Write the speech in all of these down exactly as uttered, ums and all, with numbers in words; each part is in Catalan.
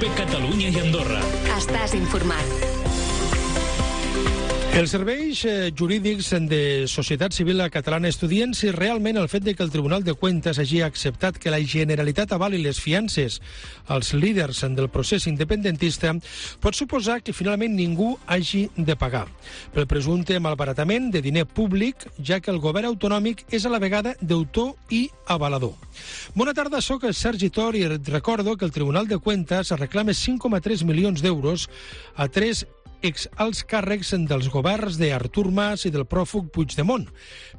de Catalunya i Andorra. Estàs informat. Els serveis jurídics de Societat Civil Catalana estudien si realment el fet de que el Tribunal de Cuentas hagi acceptat que la Generalitat avali les fiances als líders del procés independentista pot suposar que finalment ningú hagi de pagar pel presumpte malbaratament de diner públic, ja que el govern autonòmic és a la vegada deutor i avalador. Bona tarda, soc Sergi Tor i recordo que el Tribunal de Cuentas reclama cinc coma tres milions d'euros a tres exalts càrrecs dels governs d'Artur Mas i del pròfug Puigdemont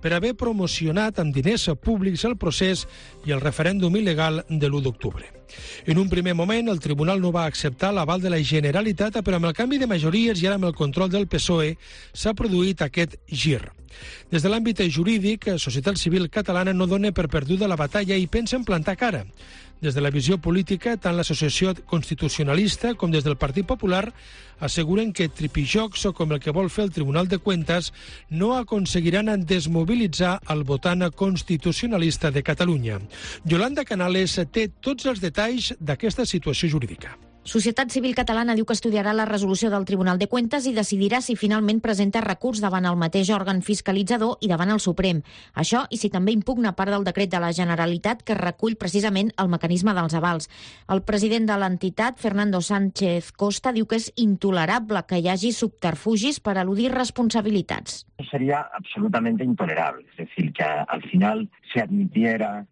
per haver promocionat amb diners públics el procés i el referèndum il·legal de l'u d'octubre. En un primer moment, el tribunal no va acceptar l'aval de la Generalitat, però amb el canvi de majories i ara amb el control del P S O E s'ha produït aquest gir. Des de l'àmbit jurídic, Societat Civil Catalana no dona per perduda la batalla i pensa en plantar cara. Des de la visió política, tant l'Associació Constitucionalista com des del Partit Popular asseguren que tripijocs com el que vol fer el Tribunal de Cuentas no aconseguiran desmobilitzar el votant constitucionalista de Catalunya. Yolanda Canales té tots els detalls d'aquesta situació jurídica. Societat Civil Catalana diu que estudiarà la resolució del Tribunal de Cuentas i decidirà si finalment presenta recurs davant el mateix òrgan fiscalitzador i davant el Suprem. Això i si també impugna part del decret de la Generalitat que recull precisament el mecanisme dels avals. El president de l'entitat, Fernando Sánchez Costa, diu que és intolerable que hi hagi subterfugis per eludir responsabilitats. Sería absolutamente intolerable. Es decir, que al final se admitiera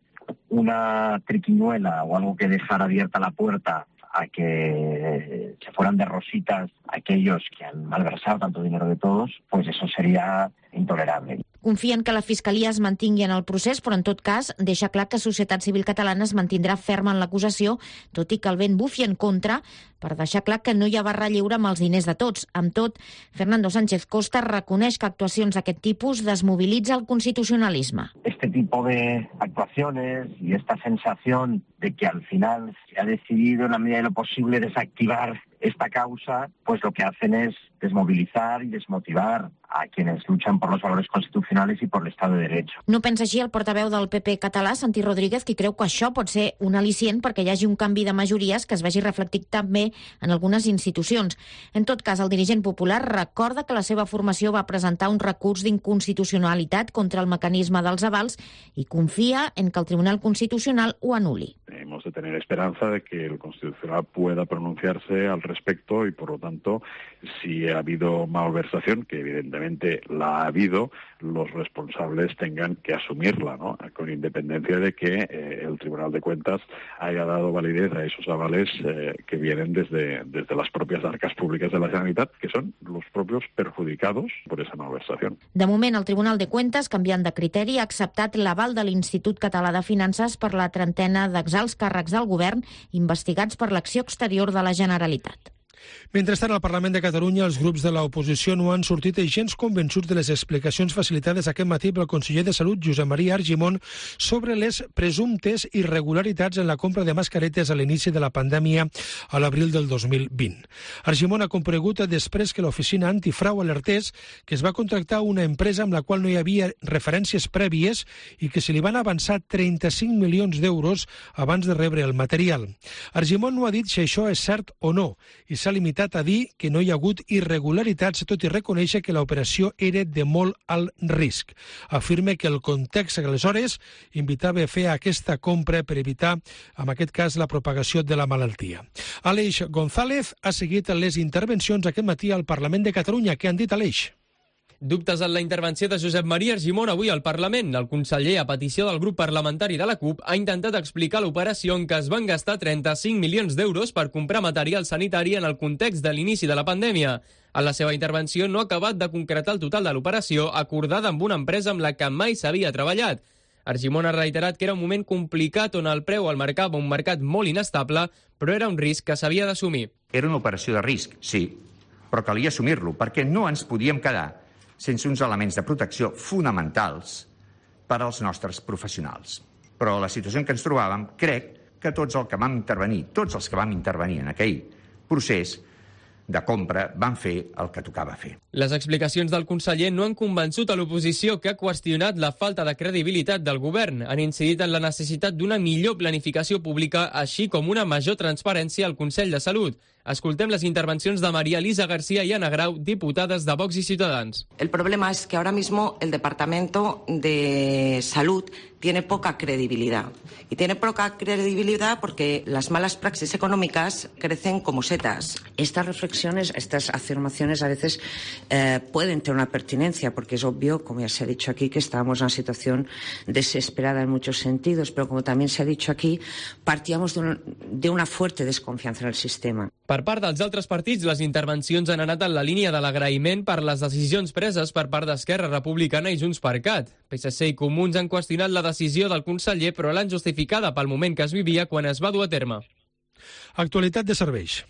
una triquiñuela o algo que dejara abierta la puerta a que se fueran de rositas aquellos que han malversado tanto dinero de todos, pues eso sería intolerable. Confien que la Fiscalia es mantingui en el procés, però en tot cas deixa clar que Societat Civil Catalana es mantindrà ferma en l'acusació, tot i que el vent bufi en contra, per deixar clar que no hi ha barra lliure amb els diners de tots. Amb tot, Fernando Sánchez Costa reconeix que actuacions d'aquest tipus desmobilitza el constitucionalisme. Este tipo de actuaciones y esta sensación de que al final se ha decidido en la medida de lo posible desactivar esta causa, pues lo que hacen es desmovilizar y desmotivar a quienes luchan por los valores constitucionales y por el Estado de Derecho. No pensa així el portaveu del P P català, Santi Rodríguez, qui creu que això pot ser un al·licient perquè hi hagi un canvi de majories que es vegi reflectit també en algunes institucions. En tot cas, el dirigent popular recorda que la seva formació va presentar un recurs d'inconstitucionalitat contra el mecanisme dels avals i confia en que el Tribunal Constitucional ho anuli. Hemos de tener esperanza de que el Constitucional pueda pronunciarse al respecto y, por lo tanto, si ha habido malversación, que evidentemente la ha habido, los responsables tengan que asumirla, ¿no? Con independencia de que eh, el Tribunal de Cuentas haya dado validez a esos avales eh, que vienen desde, desde las propias arcas públicas de la Generalitat, que son los propios perjudicados por esa malversación. De moment, el Tribunal de Cuentas, canviant de criteri, ha acceptat l'aval de l'Institut Català de Finances per la trentena d'exalts càrrecs del govern investigats per l'acció exterior de la Generalitat. Mentrestant, al Parlament de Catalunya, els grups de l'oposició no han sortit gens convençuts de les explicacions facilitades aquest matí pel conseller de Salut, Josep Maria Argimon, sobre les presumptes irregularitats en la compra de mascaretes a l'inici de la pandèmia a l'abril del dos mil vint. Argimon ha comparegut després que l'oficina antifrau alertés que es va contractar una empresa amb la qual no hi havia referències prèvies i que se li van avançar trenta-cinc milions d'euros abans de rebre el material. Argimon no ha dit si això és cert o no i s'ha limitat a dir que no hi ha hagut irregularitats, tot i reconèixer que l'operació era de molt alt risc. Afirma que el context aleshores invitava a fer aquesta compra per evitar, en aquest cas, la propagació de la malaltia. Aleix González ha seguit les intervencions aquest matí al Parlament de Catalunya. Què han dit, Aleix? Dubtes en la intervenció de Josep Maria Argimon avui al Parlament. El conseller, a petició del grup parlamentari de la CUP, ha intentat explicar l'operació en què es van gastar trenta-cinc milions d'euros per comprar material sanitari en el context de l'inici de la pandèmia. En la seva intervenció no ha acabat de concretar el total de l'operació acordada amb una empresa amb la que mai s'havia treballat. Argimon ha reiterat que era un moment complicat on el preu el marcava un mercat molt inestable, però era un risc que s'havia d'assumir. Era una operació de risc, sí, però calia assumir-lo perquè no ens podíem quedar sense uns elements de protecció fonamentals per als nostres professionals. Però la situació en què ens trobàvem, crec que tots els que vam intervenir, tots els que vam intervenir en aquell procés, de compra van fer el que tocava fer. Les explicacions del conseller no han convençut a l'oposició, que ha qüestionat la falta de credibilitat del govern. Han incidit en la necessitat d'una millor planificació pública, així com una major transparència al Consell de Salut. Escoltem les intervencions de María Elisa García y Ana Grau, diputades de Vox y Ciudadanos. El problema es que ahora mismo el Departamento de Salud tiene poca credibilidad. Y tiene poca credibilidad porque las malas praxis económicas crecen como setas. Estas reflexiones, estas afirmaciones a veces eh, pueden tener una pertinencia, porque es obvio, como ya se ha dicho aquí, que estábamos en una situación desesperada en muchos sentidos, pero como también se ha dicho aquí, partíamos de, un, de una fuerte desconfianza en el sistema. Per part dels altres partits, les intervencions han anat en la línia de l'agraïment per les decisions preses per part d'Esquerra Republicana i Junts per Cat. P S C i Comuns han qüestionat la decisió del conseller, però l'han justificada pel moment que es vivia quan es va dur a terme. Actualitat de serveis.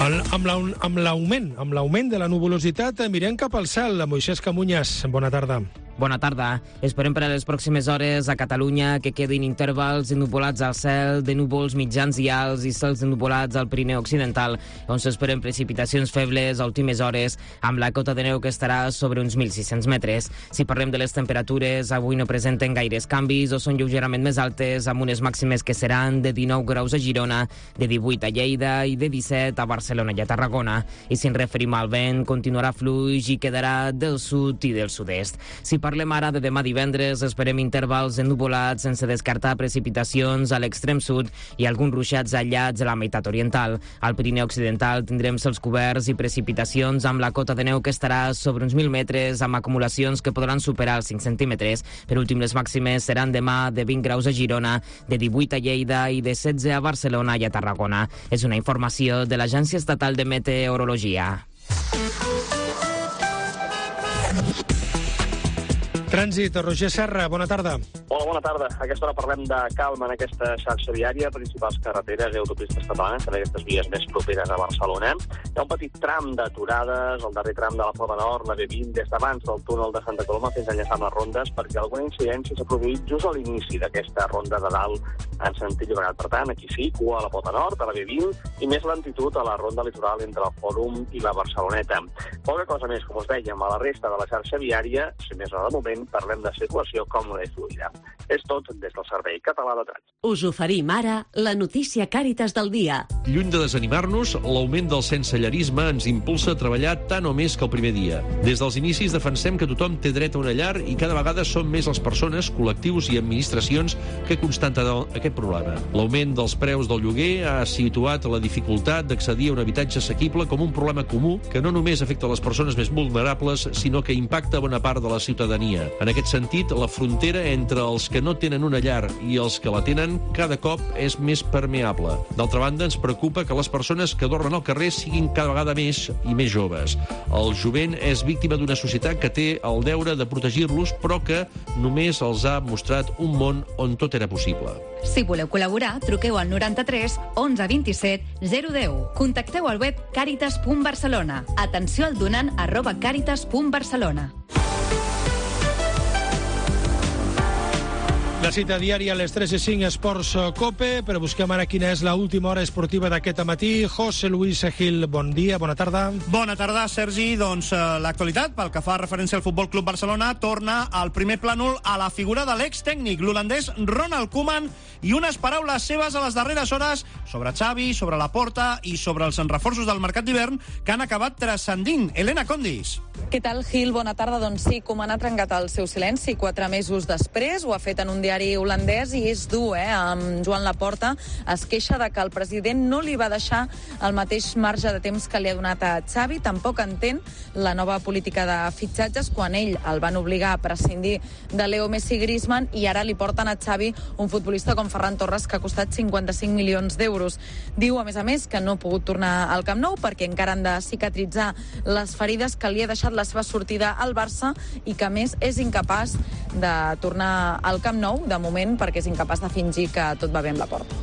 El, amb l'augment amb l'augment de la nuvolositat mirem cap al cel. Moisès Camunyas, bona tarda. Bona tarda. Esperem per a les pròximes hores a Catalunya que quedin intervals ennuvolats al cel, de núvols mitjans i alts i cels ennuvolats al Pirineu Occidental, on s'esperen precipitacions febles a últimes hores, amb la cota de neu que estarà sobre uns mil sis-cents metres. Si parlem de les temperatures, avui no presenten gaires canvis o són lleugerament més altes, amb unes màximes que seran de dinou graus a Girona, de divuit a Lleida i de disset a Barcelona i a Tarragona. I si ens referim al vent, continuarà fluix i quedarà del sud i del sud-est. Si parlem ara de demà divendres, esperem intervals ennuvolats sense descartar precipitacions a l'extrem sud i alguns ruixats aïllats a la meitat oriental. Al Pirineu Occidental tindrem cels coberts i precipitacions amb la cota de neu que estarà sobre uns mil metres, amb acumulacions que podran superar els cinc centímetres. Per últim, les màximes seran demà de vint graus a Girona, de divuit a Lleida i de setze a Barcelona i a Tarragona. És una informació de l'Agència Estatal de Meteorologia. Trànsit, Roger Serra, bona tarda. Hola, bona tarda. A aquesta hora parlem de calma en aquesta xarxa viària, principals carreteres i autopistes catalanes, en aquestes vies més properes a Barcelona. Hi ha un petit tram d'aturades, el darrer tram de la Pota Nord, la B vint, des d'abans del túnel de Santa Coloma fins a enllaçar amb les rondes, perquè alguna incidència s'ha produït just a l'inici d'aquesta ronda de dalt en sentit Llobregat. Per tant, aquí sí, cua a la Pota Nord, a la B vint, i més lentitud a la ronda litoral entre el Fòrum i la Barceloneta. Poca cosa més, com us dèiem, a la resta de la xarxa viària, si més no de moment, parlem de situació còmoda i fluida. És tot des del Servei Català de Trànsit. Us oferim ara la notícia Càritas del dia. Lluny de desanimar-nos, l'augment del sensellarisme ens impulsa a treballar tant o més que el primer dia. Des dels inicis defensem que tothom té dret a una llar i cada vegada són més les persones, col·lectius i administracions que constaten aquest problema. L'augment dels preus del lloguer ha situat la dificultat d'accedir a un habitatge assequible com un problema comú que no només afecta les persones més vulnerables, sinó que impacta bona part de la ciutadania. En aquest sentit, la frontera entre els que no tenen una llar i els que la tenen cada cop és més permeable. D'altra banda, ens preocupa que les persones que dormen al carrer siguin cada vegada més i més joves. El jovent és víctima d'una societat que té el deure de protegir-los, però que només els ha mostrat un món on tot era possible. Si voleu col·laborar, truqueu al noranta-tres onze vint-i-set zero deu. Contacteu al web càritas punt barcelona. Atenció al donant arroba càritas punt barcelona. La cita diària a les tres i cinc Esports Cope, però busquem ara quina és l'última hora esportiva d'aquest matí. José Luis Gil, bon dia, bona tarda. Bona tarda, Sergi. Doncs eh, l'actualitat, pel que fa referència al Futbol Club Barcelona, torna al primer plànol a la figura de l'extècnic, l'holandès Ronald Koeman, i unes paraules seves a les darreres hores sobre Xavi, sobre Laporta i sobre els reforços del mercat d'hivern que han acabat transcendint. Elena Condis. Què tal, Gil? Bona tarda. Doncs sí, Koeman ha trencat el seu silenci quatre mesos després, ho ha fet en un diari holandès i és dur, eh? Amb Joan Laporta es queixa de que el president no li va deixar el mateix marge de temps que li ha donat a Xavi. Tampoc entén la nova política de fitxatges quan ell el van obligar a prescindir de Leo Messi i Griezmann i ara li porten a Xavi un futbolista com Ferran Torres que ha costat cinquanta-cinc milions d'euros. Diu, a més a més, que no ha pogut tornar al Camp Nou perquè encara han de cicatritzar les ferides que li ha deixat la seva sortida al Barça i que, a més, és incapaç de tornar al Camp Nou de moment, perquè és incapaç de fingir que tot va bé amb la porta.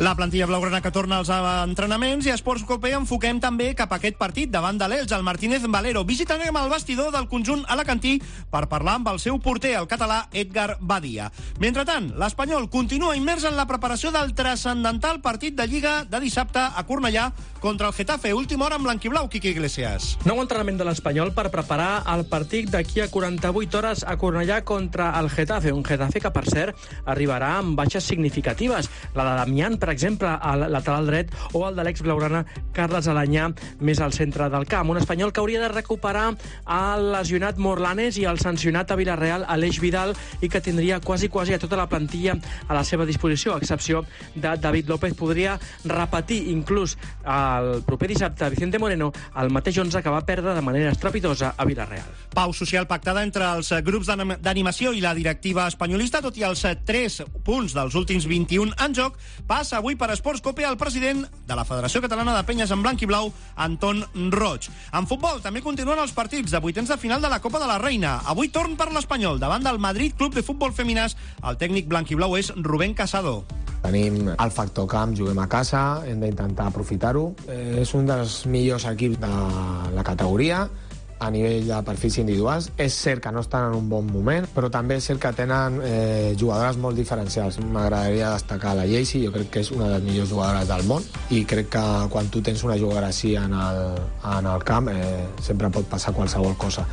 La plantilla blaugrana que torna als entrenaments, i a Esports Cope enfoquem també cap a aquest partit davant de l'Elx, el Martínez Valero. Visitarem el vestidor del conjunt alacantí per parlar amb el seu porter, el català Edgar Badia. Mentrestant, l'Espanyol continua immers en la preparació del transcendental partit de Lliga de dissabte a Cornellà contra el Getafe. Última hora amb blanquiblau, Quique Iglesias. Nou entrenament de l'Espanyol per preparar el partit d'aquí a quaranta-vuit hores a Cornellà contra el Getafe. Un Getafe que, per cert, arribarà amb baixes significatives. La de Damián, per exemple, al lateral dret, o el de l'ex-blaugrana Carles Alanyà, més al centre del camp. Un Espanyol que hauria de recuperar el lesionat Morlanes i el sancionat a Villarreal, Aleix Vidal, i que tindria quasi, quasi a tota la plantilla a la seva disposició, a excepció de David López. Podria repetir inclús el proper dissabte Vicente Moreno, el mateix onze que va perdre de manera estrepitosa a Villarreal. Pau social pactada entre els grups d'animació i la directiva espanyolista, tot i els tres punts dels últims vint-i-un en joc. Passa avui per Esports Cope el president de la Federació Catalana de Penyes en blanc i blau, Anton Roig. En futbol també continuen els partits de vuitens de final de la Copa de la Reina. Avui torn per l'Espanyol davant del Madrid Club de Futbol Feminàs. El tècnic blanc i blau és Rubén Casado. Tenim el factor camp, juguem a casa, hem d'intentar aprofitar-ho. Eh, és un dels millors equips de la categoria a nivell de perfils individuals. És cert que no estan en un bon moment, però també és cert que tenen eh, jugadores molt diferencials. M'agradaria destacar la Jaycee, jo crec que és una de les millors jugadores del món, i crec que quan tu tens una jugadora així en el, en el camp eh, sempre pot passar qualsevol cosa.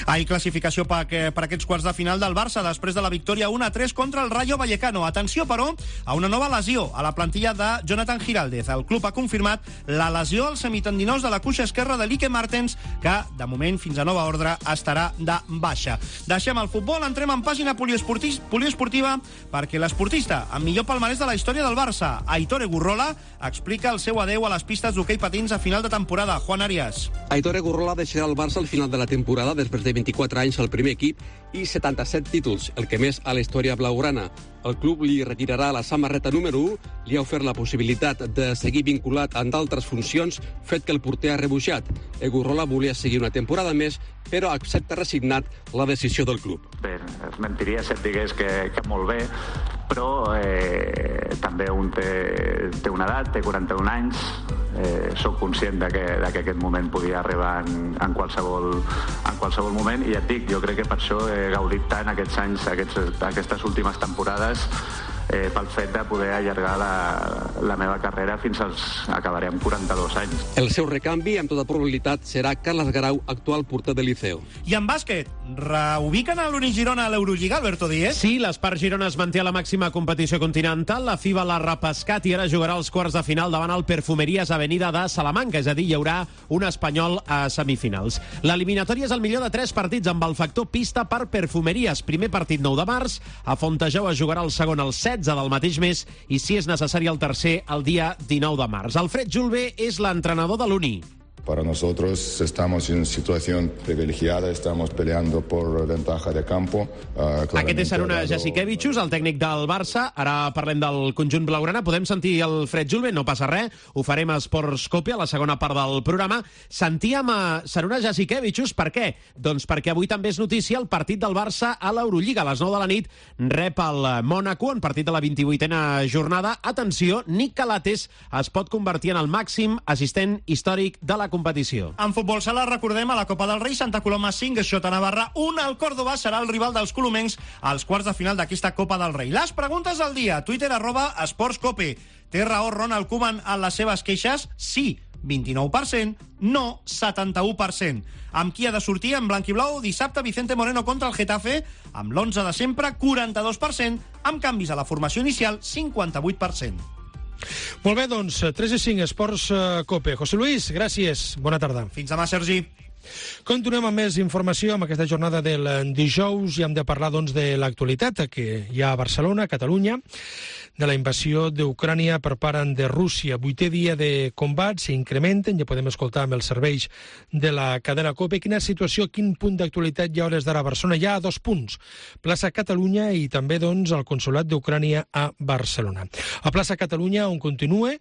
Ahir classificació per, per aquests quarts de final del Barça després de la victòria un a tres contra el Rayo Vallecano. Atenció, però, a una nova lesió a la plantilla de Jonathan Giraldez. El club ha confirmat la lesió als semitendinous de la cuixa esquerra de Lique Martens, que, de moment, fins a nova ordre, estarà de baixa. Deixem el futbol, entrem en pàgina poliesportiva, perquè l'esportista amb millor palmarès de la història del Barça, Aitor Egurrola, explica el seu adeu a les pistes d'hoquei patins a final de temporada. Juan Arias. Aitor Egurrola deixarà el Barça al final de la temporada després de vint-i-quatre anys al primer equip i setanta-set títols, el que més a la història blaugrana. El club li retirarà la samarreta número u, li ha ofert la possibilitat de seguir vinculat amb d'altres funcions, fet que el porter ha rebutjat. Egurrola volia seguir una temporada més, però accepta resignat la decisió del club. Bé, es mentiria si et digués que, que molt bé, però eh, també un té, té una edat, té quaranta-un anys, eh, soc conscient de que, de que aquest moment podia arribar en, en, qualsevol, en qualsevol moment, i ja et dic, jo crec que per això he gaudit tant aquests anys, aquests, aquestes últimes temporades, eh, pel fet de poder allargar la, la meva carrera fins als acabaré amb quaranta-dos anys. El seu recanvi, amb tota probabilitat, serà Carles Garau, actual porter del Liceo. I en bàsquet, reubiquen a l'Uni Girona a l'Eurolliga, Alberto Díez? Sí, l'Espart Girona es manté a la màxima competició continental, la FIBA l'ha repescat i ara jugarà els quarts de final davant el Perfumeries Avenida de Salamanca, és a dir, hi haurà un espanyol a semifinals. L'eliminatòria és el millor de tres partits amb el factor pista per Perfumeries. Primer partit nou de març, a Fontejau es jugarà el segon el setze del mateix mes i, si és necessari, el tercer el dia dinou de març. Alfred Julve és l'entrenador de l'Uni. Para nosotros estamos en situación privilegiada, estamos peleando por ventaja de campo. Uh, Aquest és Saruna Jasikevičius, el tècnic del Barça. Ara parlem del conjunt blaugrana. Podem sentir el Fred Julve, no passa res. Ho farem a Esports Cope, a la segona part del programa. Sentíem a Saruna Jasikevičius, per què? Doncs perquè avui també és notícia el partit del Barça a l'Eurolliga. A les nou de la nit rep el Mònaco en partit de la vint-i-vuitena jornada. Atenció, Nick Calates es pot convertir en el màxim assistent històric de la competició. En futbol sala, recordem, a la Copa del Rei, Santa Coloma cinc, Xota Navarra un, el Córdoba serà el rival dels colomencs als quarts de final d'aquesta Copa del Rei. Les preguntes del dia, Twitter arroba esportscope. Té raó Ronald Koeman en les seves queixes? Sí, vint-i-nou per cent, no, setanta-u per cent. Amb qui ha de sortir en blanc i blau dissabte Vicente Moreno contra el Getafe? Amb l'onze de sempre, quaranta-dos per cent, amb canvis a la formació inicial, cinquanta-vuit per cent. Molt bé, doncs, tres i cinc, Esports Cope. José Luis, gràcies, bona tarda. Fins demà, Sergi. Continuem amb més informació amb aquesta jornada del dijous i hem de parlar, doncs, de l'actualitat que hi ha a Barcelona, a Catalunya, de la invasió d'Ucrània per part de Rússia. Vuitè dia de combat, s'incrementen, ja podem escoltar amb els serveis de la cadena COPE. Quina situació, quin punt d'actualitat hi ha a hores d'ara a Barcelona? Hi ha dos punts, plaça Catalunya i també, doncs, el Consolat d'Ucrània a Barcelona. A plaça Catalunya, on continua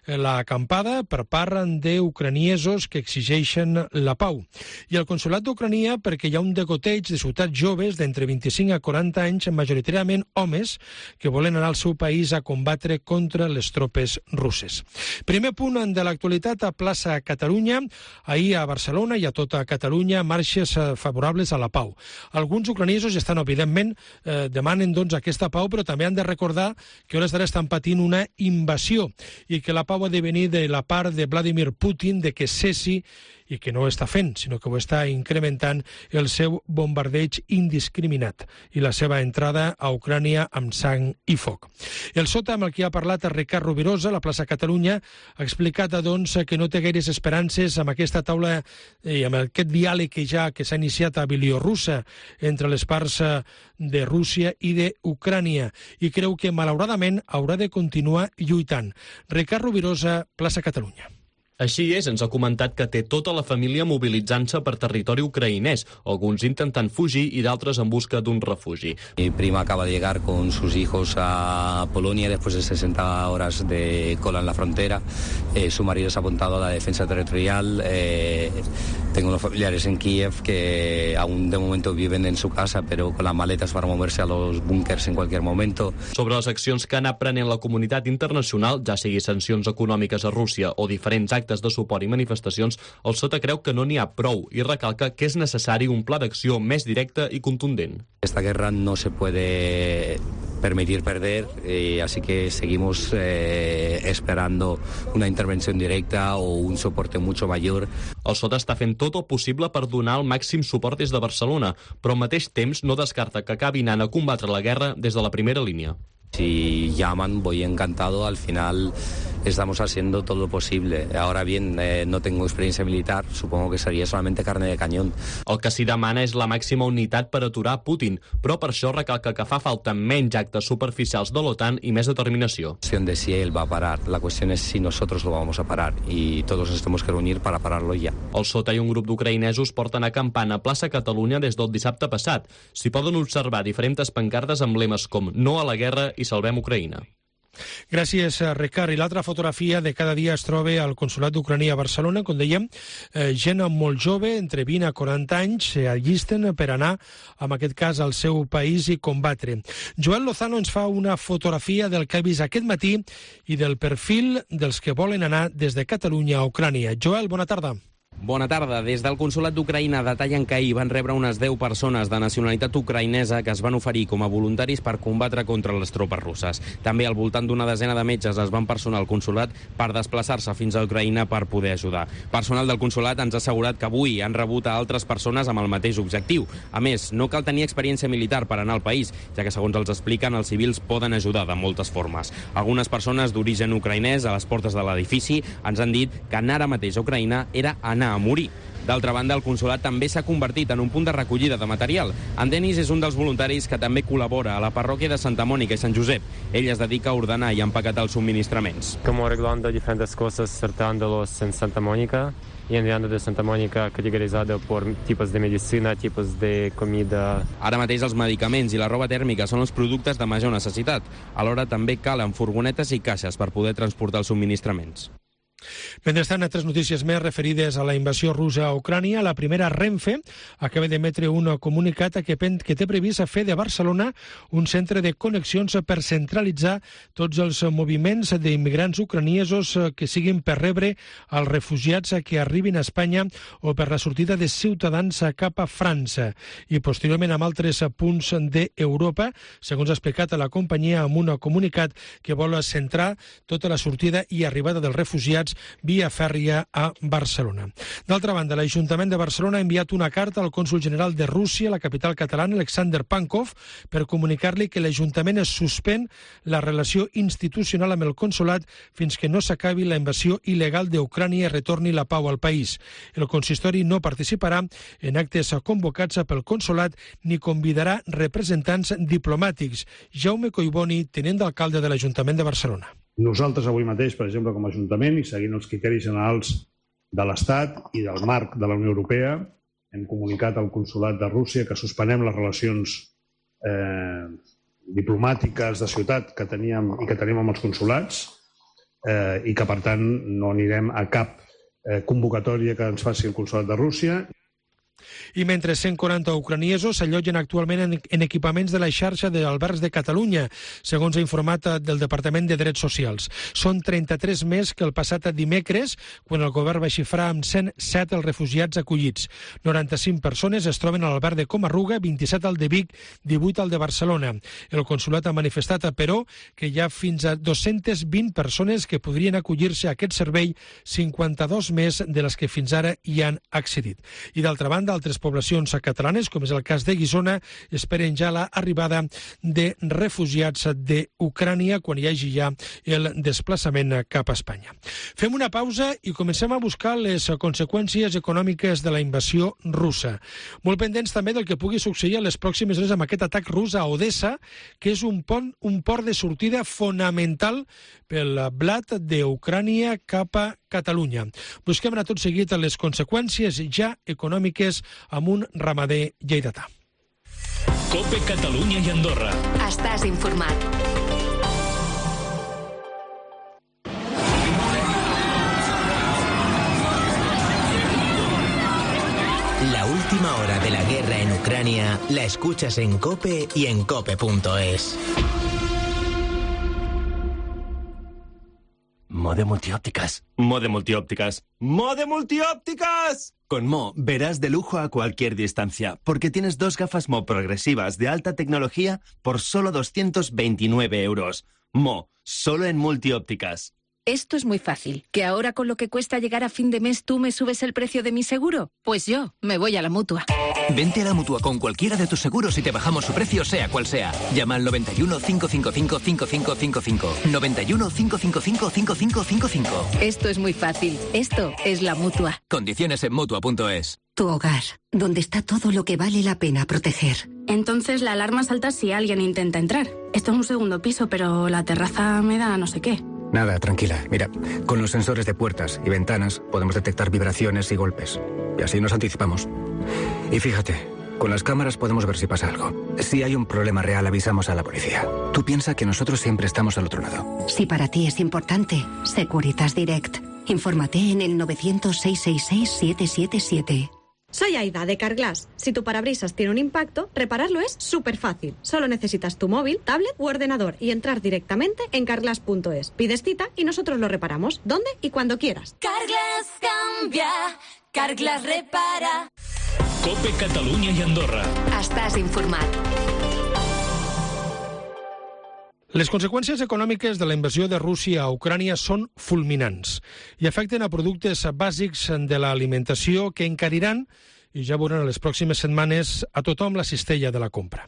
l'acampada per part d'ucraniesos que exigeixen la pau. I el consolat d'Ucrania perquè hi ha un degoteig de ciutats joves d'entre vint-i-cinc a quaranta anys, majoritàriament homes, que volen anar al seu país a combatre contra les tropes russes. Primer punt de l'actualitat a plaça Catalunya. Ahir a Barcelona i a tota Catalunya marxes favorables a la pau. Alguns ucraniesos estan, evidentment, eh, demanen doncs, aquesta pau, però també han de recordar que hores d'ara estan patint una invasió i que la pau ha de venir de la part de Vladimir Putin, de que cessi, i que no ho està fent, sinó que ho està incrementant el seu bombardeig indiscriminat i la seva entrada a Ucrània amb sang i foc. El sota amb el que ha parlat el Ricard Rovirosa, a la plaça Catalunya, ha explicat doncs, que no té gaires esperances amb aquesta taula i amb aquest diàleg que ja que s'ha iniciat a Bielorússia entre les parts de Rússia i d'Ucrània i creu que malauradament haurà de continuar lluitant. Ricard Rovirosa, plaça Catalunya. Així és, ens ha comentat que té tota la família mobilitzant-se per territori ucraïnès, alguns intentant fugir i d'altres en busca d'un refugi. Mi prima acaba de llegar con sus hijos a Polonia después de sesenta horas de cola en la frontera. Eh, su marido se ha apuntado a la defensa territorial. Eh, tengo unos familiares en Kiev que aún de momento viven en su casa, pero con las maletas para moverse a los búnkers en cualquier momento. Sobre les accions que ha anat prenent la comunitat internacional, ja sigui sancions econòmiques a Rússia o diferents actes de suport i manifestacions, el sota creu que no n'hi ha prou i recalca que és necessari un pla d'acció més directe i contundent. Esta guerra no se puede permitir perder, eh, así que seguimos eh, esperando una intervención directa o un soporte mucho mayor. El sota està fent tot el possible per donar el màxim suport des de Barcelona, però al mateix temps no descarta que acabi anant a combatre la guerra des de la primera línia. Si llaman, voy encantado. Al final estamos haciendo todo lo posible. Ahora bien, eh, no tengo experiencia militar, supongo que sería solamente carne de cañón. El que s'hi demana és la màxima unitat per aturar Putin, però per això recalca que fa falta menys actes superficials de l'OTAN i més determinació. La cuestión de si él va a parar, la cuestión es si nosotros lo vamos a parar y todos nos tenemos que reunir para pararlo ya. El sota i un grup d'ucraïnesos porten acampant a plaça Catalunya des del dissabte passat. S'hi poden observar diferents pancartes amb lemes com no a la guerra i salvem Ucraïna. Gràcies, Ricard. I l'altra fotografia de cada dia es troba al Consolat d'Ucrània a Barcelona, com dèiem, eh, gent molt jove, entre vint a quaranta anys, s'allisten per anar, en aquest cas, al seu país i combatre. Joel Lozano ens fa una fotografia del que ha vist aquest matí i del perfil dels que volen anar des de Catalunya a Ucrània. Joel, bona tarda. Bona tarda. Des del Consolat d'Ucraïna detallen que ahir van rebre unes deu persones de nacionalitat ucraïnesa que es van oferir com a voluntaris per combatre contra les tropes russes. També al voltant d'una desena de metges es van personar al consolat per desplaçar-se fins a Ucraïna per poder ajudar. Personal del consolat ens ha assegurat que avui han rebut a altres persones amb el mateix objectiu. A més, no cal tenir experiència militar per anar al país, ja que, segons els expliquen, els civils poden ajudar de moltes formes. Algunes persones d'origen ucraïnès a les portes de l'edifici ens han dit que anar ara mateix a Ucraïna era anar a morir. D'altra banda, el consolat també s'ha convertit en un punt de recollida de material. En Denis és un dels voluntaris que també col·labora a la parròquia de Santa Mònica i Sant Josep. Ell es dedica a ordenar i empaquetar els subministraments. Como arreglando diferentes cosas, sorteándolos en Santa Mónica y enviando de Santa Mónica categorizado por tipos de medicina, tipos de comida. Ara mateix els medicaments i la roba tèrmica són els productes de major necessitat. Alhora també calen furgonetes i caixes per poder transportar els subministraments. Mentrestant, altres notícies més referides a la invasió russa a Ucrània. La primera, Renfe, acaba d'emetre un comunicat que, que té previst fer de Barcelona un centre de connexions per centralitzar tots els moviments d'immigrants ucraniesos que siguin per rebre els refugiats que arribin a Espanya o per la sortida de ciutadans cap a França i posteriorment amb altres punts d'Europa, segons ha explicat a la companyia amb un comunicat que vol centrar tota la sortida i arribada dels refugiats via fèrria a Barcelona. D'altra banda, l'Ajuntament de Barcelona ha enviat una carta al cònsol general de Rússia, la capital catalana, Alexander Pankov, per comunicar-li que l'Ajuntament es suspèn la relació institucional amb el consolat fins que no s'acabi la invasió il·legal d'Ucrània i retorni la pau al país. El consistori no participarà en actes convocats pel consolat ni convidarà representants diplomàtics. Jaume Collboni, tinent d'alcalde de l'Ajuntament de Barcelona. Nosaltres avui mateix, per exemple, com a Ajuntament, i seguint els criteris generals de l'Estat i del marc de la Unió Europea, hem comunicat al Consolat de Rússia que suspenem les relacions eh, diplomàtiques de ciutat que teníem i que tenim amb els consolats eh, i que, per tant, no anirem a cap eh, convocatòria que ens faci el Consolat de Rússia. I mentre cent quaranta ucraniesos s'allotgen actualment en, en equipaments de la xarxa d'albergs de Catalunya, segons ha informat del Departament de Drets Socials. Són trenta-tres més que el passat dimecres, quan el govern va xifrar amb cent set els refugiats acollits. noranta-cinc persones es troben a l'alberg de Comarruga, vint-i-set al de Vic, divuit al de Barcelona. El consulat ha manifestat, però, que hi ha fins a dos-centes vint persones que podrien acollir-se a aquest servei, cinquanta-dos més de les que fins ara hi han accedit. I d'altra banda, altres poblacions catalanes, com és el cas de Guissona, esperen ja l'arribada de refugiats d'Ucrània quan hi hagi ja el desplaçament cap a Espanya. Fem una pausa i comencem a buscar les conseqüències econòmiques de la invasió russa. Molt pendents també del que pugui succeir a les pròximes hores amb aquest atac rus a Odessa, que és un pont, un port de sortida fonamental pel blat d'Ucrània cap a Catalunya. Busquem a tot seguit les conseqüències ja econòmiques amb un ramader lleidatà. COPE Catalunya i Andorra. Estàs informat. La última hora de la guerra en Ucrania la escuchas en COPE y en cope punto es. Mode Multiópticas. Mode Multiópticas. ¡Mode Multiópticas! Con Mo verás de lujo a cualquier distancia, porque tienes dos gafas Mo progresivas de alta tecnología por solo doscientos veintinueve euros. Mo, solo en Multiópticas. Esto es muy fácil. ¿Que ahora con lo que cuesta llegar a fin de mes tú me subes el precio de mi seguro? Pues yo me voy a la Mutua. Vente a la Mutua con cualquiera de tus seguros y te bajamos su precio sea cual sea. Llama al noventa y uno, cinco cinco cinco, cinco cinco cinco cinco. noventa y uno, cinco cinco cinco, cinco cinco cinco cinco. Esto es muy fácil. Esto es la Mutua. Condiciones en Mutua punto es. Tu hogar, donde está todo lo que vale la pena proteger. Entonces la alarma salta si alguien intenta entrar. Esto es un segundo piso, pero la terraza me da no sé qué. Nada, tranquila. Mira, con los sensores de puertas y ventanas podemos detectar vibraciones y golpes. Y así nos anticipamos. Y fíjate, con las cámaras podemos ver si pasa algo. Si hay un problema real, avisamos a la policía. Tú piensa que nosotros siempre estamos al otro lado. Si para ti es importante, Securitas Direct. Infórmate en el novecientos, seiscientos sesenta y seis, siete siete siete. Soy Aida, de Carglass. Si tu parabrisas tiene un impacto, repararlo es súper fácil. Solo necesitas tu móvil, tablet u ordenador y entrar directamente en carglass punto es. Pides cita y nosotros lo reparamos, donde y cuando quieras. Carglass cambia, Carglass repara. COPE Catalunya i Andorra. Estàs informat. Les conseqüències econòmiques de la invasió de Rússia a Ucrània són fulminants i afecten a productes bàsics de l'alimentació que encariran, i ja veuran a les pròximes setmanes, a tothom la cistella de la compra.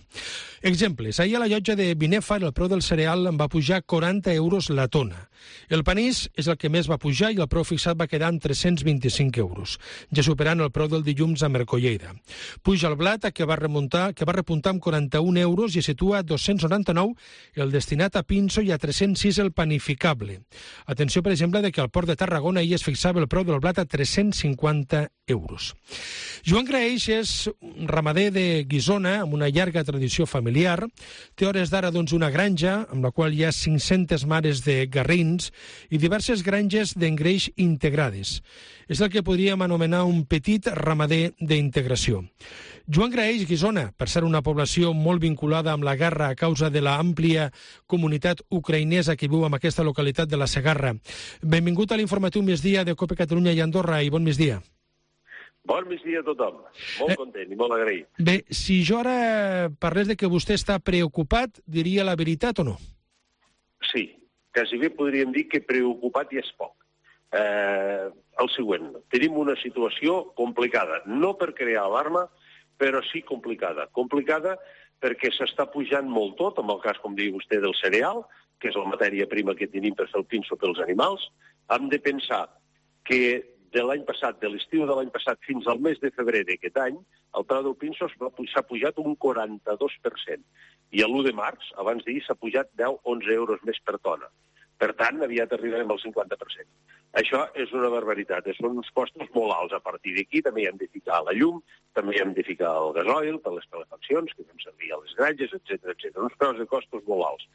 Exemples. Ahir a la llotja de Binèfar el preu del cereal va pujar quaranta euros la tona. El panís és el que més va pujar i el preu fixat va quedar en tres-cents vint-i-cinc euros, ja superant el preu del dilluns a Mercolleda. Puja el blat, que va remuntar, que va repuntar amb quaranta-un euros i es situa a dos-cents noranta-nou el destinat a pinso i a tres-cents sis el panificable. Atenció, per exemple, de que al port de Tarragona ahir es fixava el preu del blat a tres-cents cinquanta euros. Joan Graeix és un ramader de Guissona amb una llarga tradició familiar. Té hores d'ara doncs, una granja amb la qual hi ha cinc-centes mares de garrins i diverses granges d'engreix integrades. És el que podríem anomenar un petit ramader d'integració. Joan Graeix, Guissona, per ser una població molt vinculada amb la guerra a causa de l'àmplia comunitat ucraïnesa que viu en aquesta localitat de la Segarra. Benvingut a l'informatiu Migdia de COPE Catalunya i Andorra i bon migdia. Bon migdia a tothom. Molt content i molt agraït. Bé, si jo ara parlés de que vostè està preocupat, diria la veritat o no? Sí, quasi bé podríem dir que preocupat ja és poc. Eh, el següent, tenim una situació complicada, no per crear alarma, però sí complicada. Complicada perquè s'està pujant molt tot, en el cas, com diu vostè, del cereal, que és la matèria prima que tenim per fer el pinso pels animals. Hem de pensar que de l'any passat, de l'estiu de l'any passat fins al mes de febrer d'aquest any, el preu del pinso s'ha pujat un quaranta-dos per cent. I l'u de març, abans d'ahir, s'ha pujat deu a onze euros més per tona. Per tant, aviat arribarem al cinquanta per cent. Això és una barbaritat, són uns costos molt alts. A partir d'aquí també hi hem de ficar la llum, també hi hem de ficar el gasoil per les calefaccions que fem servir a les granges, etcètera, etcètera. Uns preus de costos molt alts.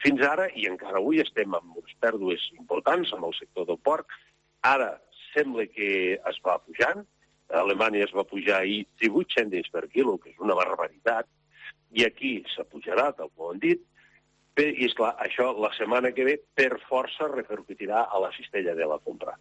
Fins ara, i encara avui, estem amb unes pèrdues importants amb el sector del porc. Ara sembla que es va pujant, A Alemanya es va pujar ahir divuit cèntims per quilo, que és una barbaritat, i aquí s'apujarà, tal com han dit, i, esclar, això la setmana que ve, per força, repercutirà a la cistella de la compra.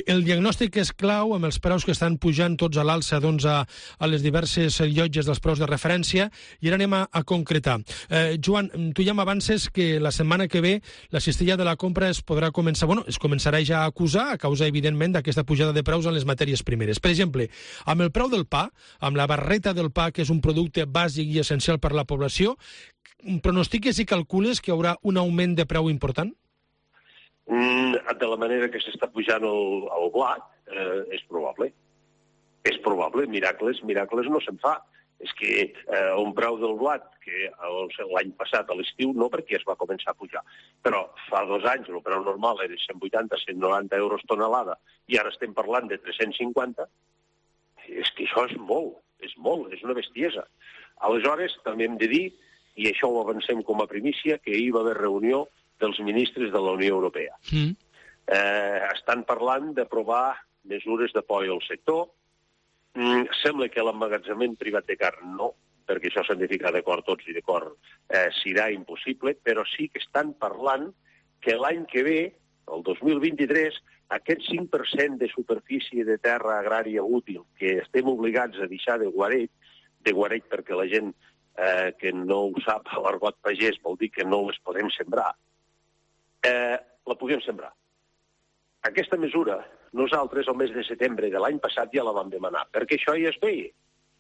El diagnòstic és clau, amb els preus que estan pujant tots a l'alça doncs, a, a les diverses llotges dels preus de referència, i ara anem a, a concretar. Eh, Joan, tu ja m'avances que la setmana que ve la cistella de la compra es podrà començar, bueno, es començarà ja a acusar, a causa, evidentment, d'aquesta pujada de preus en les matèries primeres. Per exemple, amb el preu del pa, amb la barreta del pa, que és un producte bàsic i essencial per a la població, pronostiques i calcules que hi haurà un augment de preu important? Mm, de la manera que s'està pujant el, el blat, eh, és probable. És probable. Miracles, miracles no se'n fa. És que eh, un preu del blat, que l'any passat a l'estiu, no perquè es va començar a pujar, però fa dos anys el preu normal era cent vuitanta a cent noranta euros tonelada i ara estem parlant de tres-cents cinquanta, és que això és molt, és molt, és una bestiesa. Aleshores, també hem de dir, i això ho avancem com a primícia, que ahir va haver reunió dels ministres de la Unió Europea. Mm. Eh, estan parlant d'aprovar mesures d'apoio al sector. Mm, sembla que l'emmagatzemament privat de carn no, perquè això s'han de ficar d'acord tots i d'acord eh, serà impossible, però sí que estan parlant que l'any que ve, el dos mil vint-i-tres, aquest cinc per cent de superfície de terra agrària útil que estem obligats a deixar de guaret, de guaret perquè la gent Eh, que no ho sap, a l'argot pagès vol dir que no les podem sembrar, eh, la puguem sembrar. Aquesta mesura, nosaltres el mes de setembre de l'any passat ja la vam demanar, perquè això ja es veia.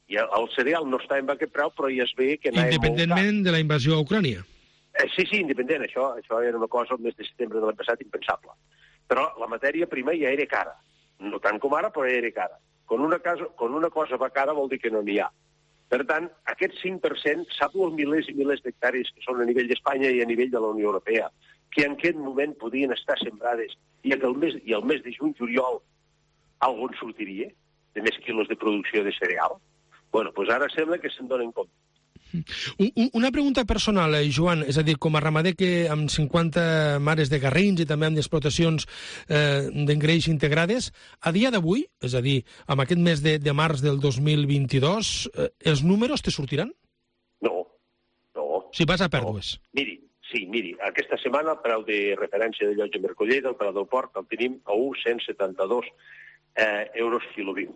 I el cereal no està en aquest preu, però ja es veia que anava independentment de la invasió a Ucrània. Eh, sí, sí, independent. Això, això era una cosa el mes de setembre de l'any passat impensable. Però la matèria prima ja era cara. No tant com ara, però ja era cara. Quan una, casa, quan una cosa va cara vol dir que no n'hi ha. Per tant, aquest cinc per cent sap els milers i milers d'hectàrees que són a nivell d'Espanya i a nivell de la Unió Europea, que en aquest moment podien estar sembrades i el mes, i el mes de juny-juliol algun sortiria de més quilos de producció de cereal. Bueno, doncs ara sembla que se'n donen compte. Una pregunta personal, eh, Joan, és a dir, com a ramader que amb cinquanta mares de garrins i també amb explotacions eh, d'engreix integrades, a dia d'avui, és a dir, amb aquest mes de, de març del dos mil vint-i-dos, eh, els números te sortiran? No, no. Si vas a pèrdues. No. Miri, sí, miri, aquesta setmana el preu de referència de llotja Mercolleda, el preu del porc, el tenim a un coma cent setanta-dos eh, euros quilo viu.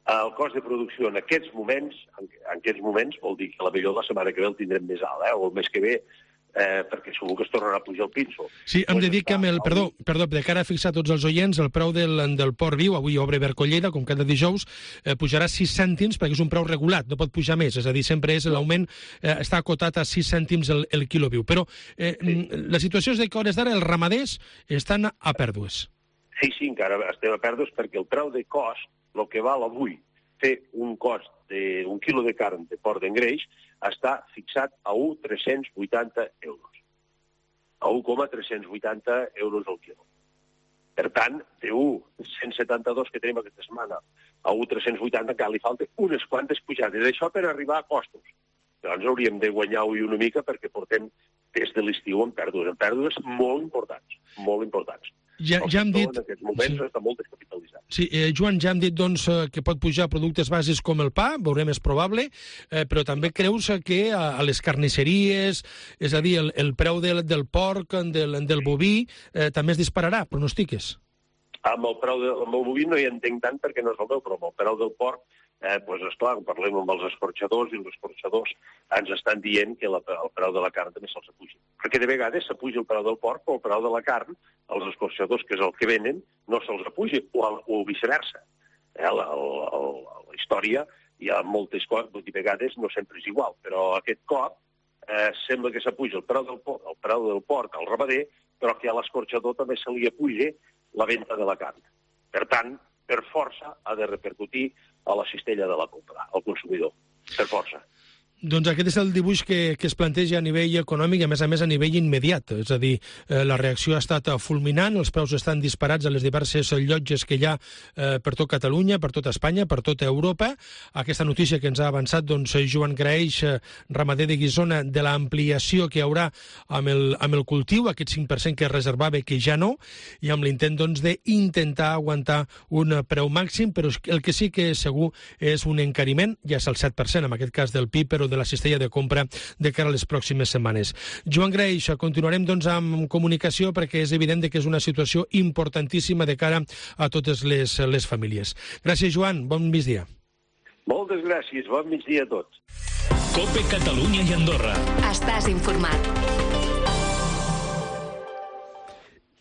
El cost de producció en aquests moments, en aquests moments vol dir que la millor la setmana que ve el tindrem més alt, eh? o el mes que ve, eh, perquè segur que es tornarà a pujar el pinso. Sí, hem de dir que amb el, perdó, perdó, de cara a fixar tots els oients, el preu del, del porc viu, avui obre Vercolleda, com cada dijous, eh, pujarà sis cèntims perquè és un preu regulat, no pot pujar més, és a dir, sempre és l'augment, eh, està acotat a sis cèntims el, el quilo viu. Però eh, sí. La situació és que a hores d'ara els ramaders estan a pèrdues. Sí, sí, encara estem a pèrdues perquè el preu de cost, el que val avui fer un cost d'un quilo de carn de porc d'engreix, està fixat a un coma tres-cents vuitanta euros. A un coma tres-cents vuitanta euros al quilo. Per tant, de un coma cent setanta-dos que tenim aquesta setmana a un coma tres-cents vuitanta encara li falta unes quantes pujades. Això per arribar a costos. Llavors hauríem de guanyar avui una mica perquè portem des de l'estiu en pèrdues, en pèrdues molt importants, molt importants. Ja, ja hem dit... En aquests moments sí. Està molt descapitalitzat. Sí, eh, Joan, ja hem dit doncs, que pot pujar productes bàsics com el pa, veurem, és probable, eh, però també creus que a, a les carnisseries, és a dir, el, el preu del, del porc, del, del boví, eh, també es dispararà, pronostiques? Amb el preu de, amb el boví no hi entenc tant perquè no és el meu, però amb el preu del porc, eh, doncs esclar, parlem amb els escorxadors i els escorxadors ens estan dient que la, el preu de la carn també se'ls apuja. Perquè de vegades s'apuja el preu del porc o el preu de la carn, els escorxadors, que és el que venen, no se'ls apuja, o, o viceversa. Eh, la, la, la història hi ha moltes coses, de vegades no sempre és igual, però aquest cop eh, sembla que s'apuja el preu del porc, el preu del porc al ramader, però que a l'escorxador també se li apuja la venda de la carn. Per tant, per força ha de repercutir a la cistella de la compra, al consumidor, per força. Doncs aquest és el dibuix que, que es planteja a nivell econòmic i, a més a més, a nivell immediat. És a dir, eh, la reacció ha estat fulminant, els preus estan disparats a les diverses llotges que hi ha eh, per tot Catalunya, per tota Espanya, per tota Europa. Aquesta notícia que ens ha avançat doncs, Joan Graeix, eh, ramader de Guissona, de l'ampliació que hi haurà amb el, amb el cultiu, aquest cinc per cent que es reservava, que ja no, i amb l'intent doncs, d'intentar aguantar un preu màxim, però el que sí que és segur és un encariment, ja és el set per cent, en aquest cas del P I B, però de la cistella de compra de cara a les pròximes setmanes. Joan Graeix, continuarem doncs, amb comunicació perquè és evident que és una situació importantíssima de cara a totes les, les famílies. Gràcies, Joan. Bon migdia. Moltes gràcies. Bon migdia a tots. COPE Catalunya i Andorra. Estàs informat.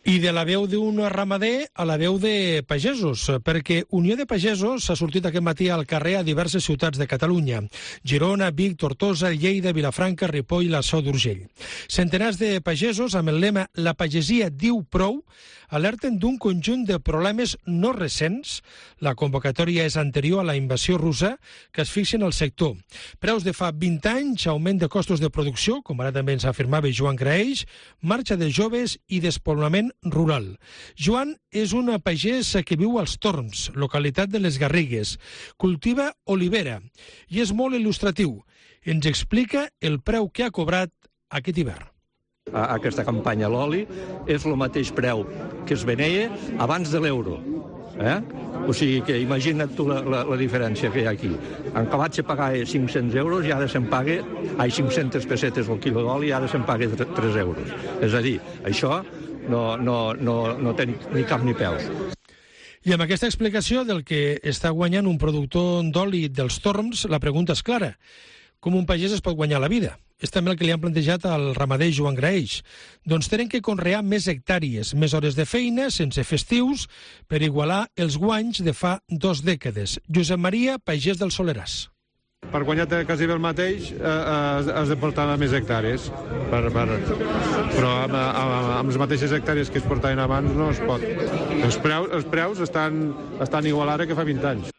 I de la veu d'un ramader a la veu de pagesos, perquè Unió de Pagesos s'ha sortit aquest matí al carrer a diverses ciutats de Catalunya: Girona, Vic, Tortosa, Lleida, Vilafranca, Ripoll i la Seu d'Urgell. Centenars de pagesos, amb el lema «La pagesia diu prou», alerten d'un conjunt de problemes no recents. La convocatòria és anterior a la invasió russa, que es fixen al sector. Preus de fa vint anys, augment de costos de producció, com ara també ens afirmava Joan Graeix, marxa de joves i despoblament rural. Joan és un pagès que viu als Torms, localitat de les Garrigues. Cultiva olivera i és molt il·lustratiu. Ens explica el preu que ha cobrat aquest hivern. A aquesta campanya l'oli és el mateix preu que es venia abans de l'euro. Eh? O sigui que imagina't tu la, la, la diferència que hi ha aquí. En acabat se pagava cinc-cents euros i ara se'n paga, ai, cinc-centes pessetes el quilo d'oli i ara se'n paga tres euros. És a dir, això no, no, no, no té ni cap ni peus. I amb aquesta explicació del que està guanyant un productor d'oli dels Torms, la pregunta és clara. Com un pagès es pot guanyar la vida? És també el que li han plantejat al ramader Joan Graeix. Doncs tenen que conrear més hectàrees, més hores de feina, sense festius, per igualar els guanys de fa dos dècades. Josep Maria, pagès del Soleràs. Per guanyar quasi el mateix eh, has de portar més hectàrees, per, per, però amb, amb, amb les mateixes hectàrees que es portaven abans no es pot. Els preus, els preus estan, estan igual ara que fa vint anys.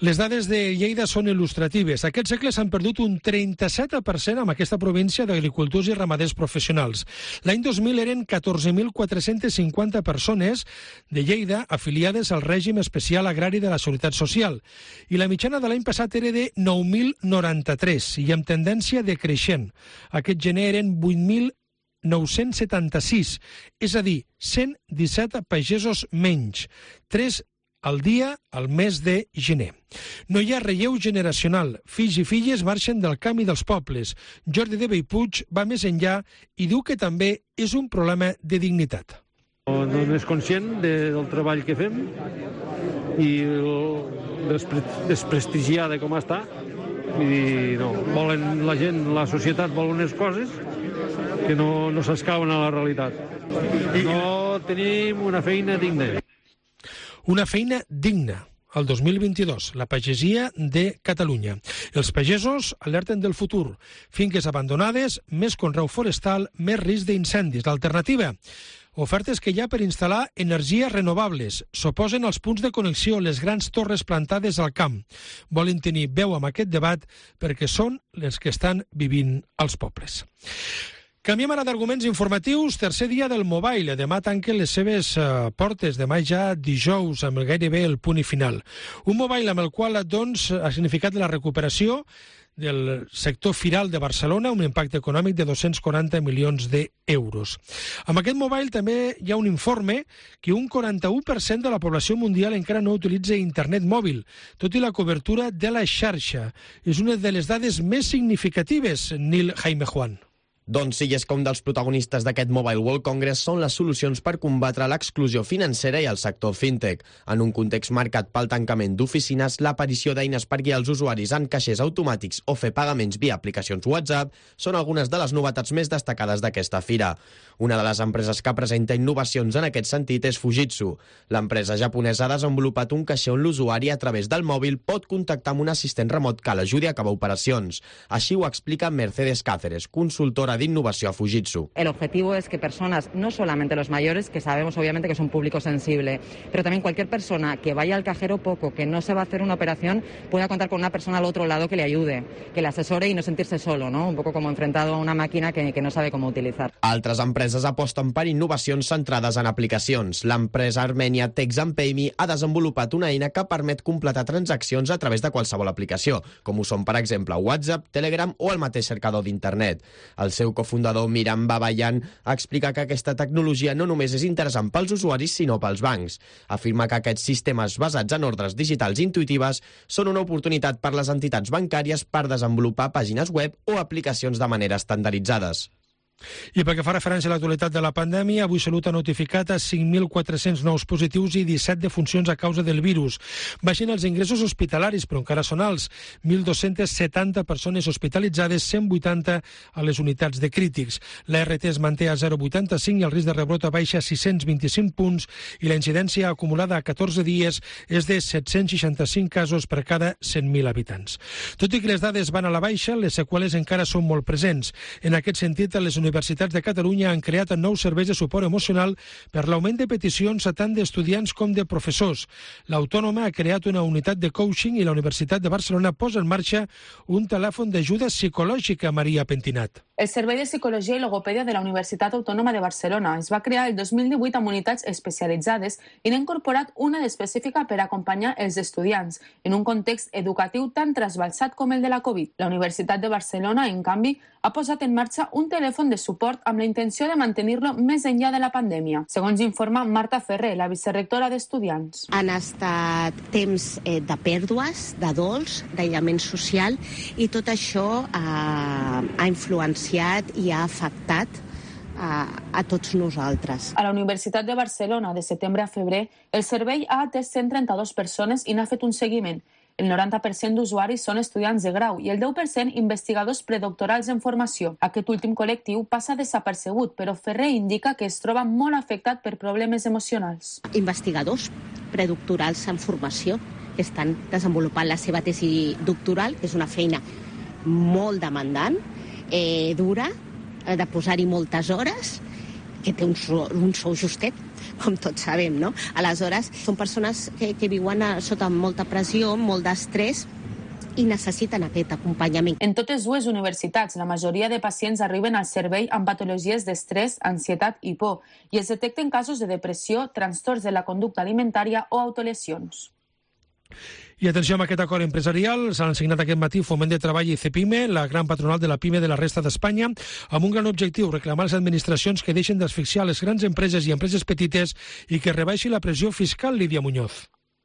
Les dades de Lleida són il·lustratives. Aquest segle s'han perdut un trenta-set per cent amb aquesta província d'agricultors i ramaders professionals. L'any dos mil eren catorze mil quatre-cents cinquanta persones de Lleida afiliades al règim especial agrari de la Seguretat Social. I la mitjana de l'any passat era de nou mil noranta-tres i amb tendència decreixent. Aquest gener eren vuit mil nou-cents setanta-sis, és a dir, cent disset pagesos menys, tres al dia al mes de gener. No hi ha relleu generacional. Fills i filles marxen del camp i dels pobles. Jordi de Bellpuig va més enllà i diu que també és un problema de dignitat. No, no és conscient de, del treball que fem i despre, desprestigiada com està. I no, volen la gent, la societat vol unes coses que no, no s'escauen a la realitat. No tenim una feina digna. Una feina digna. El dos mil vint-i-dos, la pagesia de Catalunya. Els pagesos alerten del futur. Finques abandonades, més conreu forestal, més risc d'incendis. L'alternativa? Ofertes que hi ha per instal·lar energies renovables. S'oposen als punts de connexió, les grans torres plantades al camp. Volen tenir veu amb aquest debat perquè són les que estan vivint als pobles. Canviem ara d'arguments informatius. Tercer dia del Mobile. Demà tanquen les seves uh, portes. Demà ja dijous, amb gairebé el punt i final. Un Mobile amb el qual doncs, ha significat la recuperació del sector firal de Barcelona, un impacte econòmic de dos-cents quaranta milions d'euros. Amb aquest Mobile també hi ha un informe que un quaranta-u per cent de la població mundial encara no utilitza internet mòbil, tot i la cobertura de la xarxa. És una de les dades més significatives, Nil Jaime Juan. Doncs sí, és que un dels protagonistes d'aquest Mobile World Congress són les solucions per combatre l'exclusió financera i el sector fintech. En un context marcat pel tancament d'oficines, l'aparició d'eines per guiar els usuaris en caixers automàtics o fer pagaments via aplicacions WhatsApp són algunes de les novetats més destacades d'aquesta fira. Una de les empreses que presenta innovacions en aquest sentit és Fujitsu. L'empresa japonesa ha desenvolupat un caixer on l'usuari, a través del mòbil, pot contactar amb un assistent remot que l'ajudi a acabar operacions. Així ho explica Mercedes Cáceres, consultora Directora d'Innovació a Fujitsu. El objetivo es que personas, no solamente los mayores, que sabemos obviamente que es un público sensible, pero también cualquier persona que vaya al cajero poco, que no se va a hacer una operación, pueda contar con una persona al otro lado que le ayude, que le asesore y no sentirse solo, ¿no? Un poco como enfrentado a una máquina que, que no sabe cómo utilizar. Altres empreses aposten per innovacions centrades en aplicacions. L'empresa armènia Texampayme ha desenvolupat una eina que permet completar transaccions a través de qualsevol aplicació, com ho són, per exemple, WhatsApp, Telegram o el mateix cercador d'internet. El seu cofundador, Miran Babayan, explica que aquesta tecnologia no només és interessant pels usuaris, sinó pels bancs. Afirma que aquests sistemes basats en ordres digitals intuïtives són una oportunitat per les entitats bancàries per desenvolupar pàgines web o aplicacions de manera estandarditzades. I pel que fa referència a l'actualitat de la pandèmia, avui Salut ha notificat a cinc mil quatre-cents nous positius i disset defuncions a causa del virus. Baixen els ingressos hospitalaris, però encara són alts. mil dos-cents setanta persones hospitalitzades, cent vuitanta a les unitats de crítics. La R T es manté a zero coma vuitanta-cinc i el risc de rebrot baixa a sis-cents vint-i-cinc punts i la incidència acumulada a catorze dies és de set-cents seixanta-cinc casos per cada cent mil habitants. Tot i que les dades van a la baixa, les seqüeles encara són molt presents. En aquest sentit, les universitats de Catalunya han creat nous serveis de suport emocional per l'augment de peticions tant d'estudiants com de professors. L'Autònoma ha creat una unitat de coaching i la Universitat de Barcelona posa en marxa un telèfon d'ajuda psicològica, Maria Pentinat. El Servei de Psicologia i Logopèdia de la Universitat Autònoma de Barcelona es va crear el dos mil divuit amb unitats especialitzades i n'ha incorporat una d'específica per acompanyar els estudiants en un context educatiu tan trasbalsat com el de la Covid. La Universitat de Barcelona, en canvi, ha posat en marxa un telèfon de suport amb la intenció de mantenir-lo més enllà de la pandèmia. Segons informa Marta Ferrer, la vicerectora d'Estudiants. Han estat temps eh, de pèrdues, de dols, d'aïllament social i tot això eh, ha influenciat i ha afectat a, a tots nosaltres. A la Universitat de Barcelona, de setembre a febrer, el servei ha atès cent trenta-dues persones i n'ha fet un seguiment. El noranta per cent d'usuaris són estudiants de grau i el deu per cent investigadors predoctorals en formació. Aquest últim col·lectiu passa desapercebut, però Ferrer indica que es troba molt afectat per problemes emocionals. Investigadors predoctorals en formació que estan desenvolupant la seva tesi doctoral, que és una feina molt demandant, eh, dura, de posar-hi moltes hores, que té un sou, un sou justet, com tots sabem, no? Aleshores, són persones que, que viuen a, sota molta pressió, molt d'estrès i necessiten aquest acompanyament. En totes dues universitats, la majoria de pacients arriben al servei amb patologies d'estrès, ansietat i por, i es detecten casos de depressió, trastorns de la conducta alimentària o autolesions. I atenció amb aquest acord empresarial, s'han signat aquest matí Foment de Treball i Cepime, la gran patronal de la PIME de la resta d'Espanya, amb un gran objectiu, reclamar a les administracions que deixen d'asfixiar les grans empreses i empreses petites i que rebaixi la pressió fiscal, Lídia Muñoz.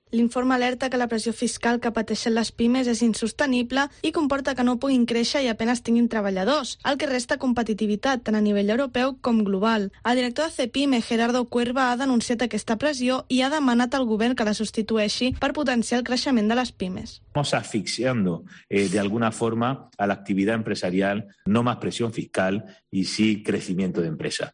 L'informe alerta que la pressió fiscal que pateixen les pimes és insostenible i comporta que no puguin créixer i apenas tinguin treballadors, el que resta competitivitat tant a nivell europeu com global. El director de Cepime, Gerardo Cuerva, ha denunciat aquesta pressió i ha demanat al govern que la substitueixi per potenciar el creixement de les pimes. Estamos asfixiando eh, de alguna forma a la actividad empresarial, no más presión fiscal y sí crecimiento de empresa.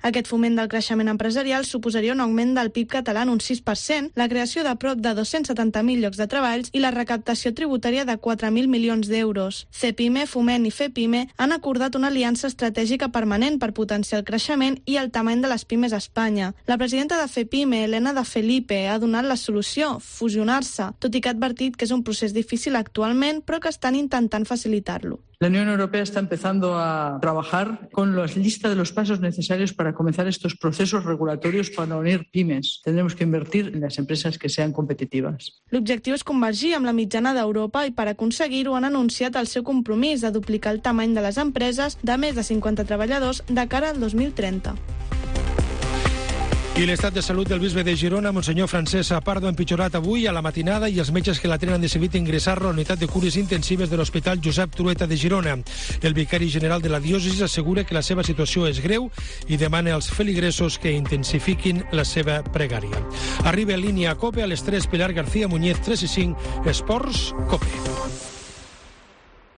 Aquest foment del creixement empresarial suposaria un augment del P I B català en un sis per cent, la creació de prop de dos-cents setanta mil llocs de treballs i la recaptació tributària de quatre mil milions d'euros. Cepime, Foment i Fepime han acordat una aliança estratègica permanent per potenciar el creixement i el tamany de les pimes a Espanya. La presidenta de Fepime, Elena de Felipe, ha donat la solució, fusionar-se, tot i que ha advertit que és un procés difícil actualment, però que estan intentant facilitar-lo. La Unión Europea está empezando a trabajar con la lista de los pasos necesarios para comenzar estos procesos regulatorios para unir pymes. Tendremos que invertir en las empresas que sean competitivas. L'objectiu és convergir amb la mitjana d'Europa i per aconseguir-ho han anunciat el seu compromís de duplicar el tamany de les empreses de més de cinquanta treballadors de cara al dos mil trenta. I l'estat de salut del bisbe de Girona, Monsenyor Francesc Pardo, ha empitjorat avui a la matinada i els metges que la tenen han decidit ingressar-lo a la unitat de cures intensives de l'Hospital Josep Trueta de Girona. El vicari general de la diòcesi assegura que la seva situació és greu i demana als feligresos que intensifiquin la seva pregària. Arriba en línia a COPE a les tres, Pilar García Muñez, tres i cinc, Esports, COPE.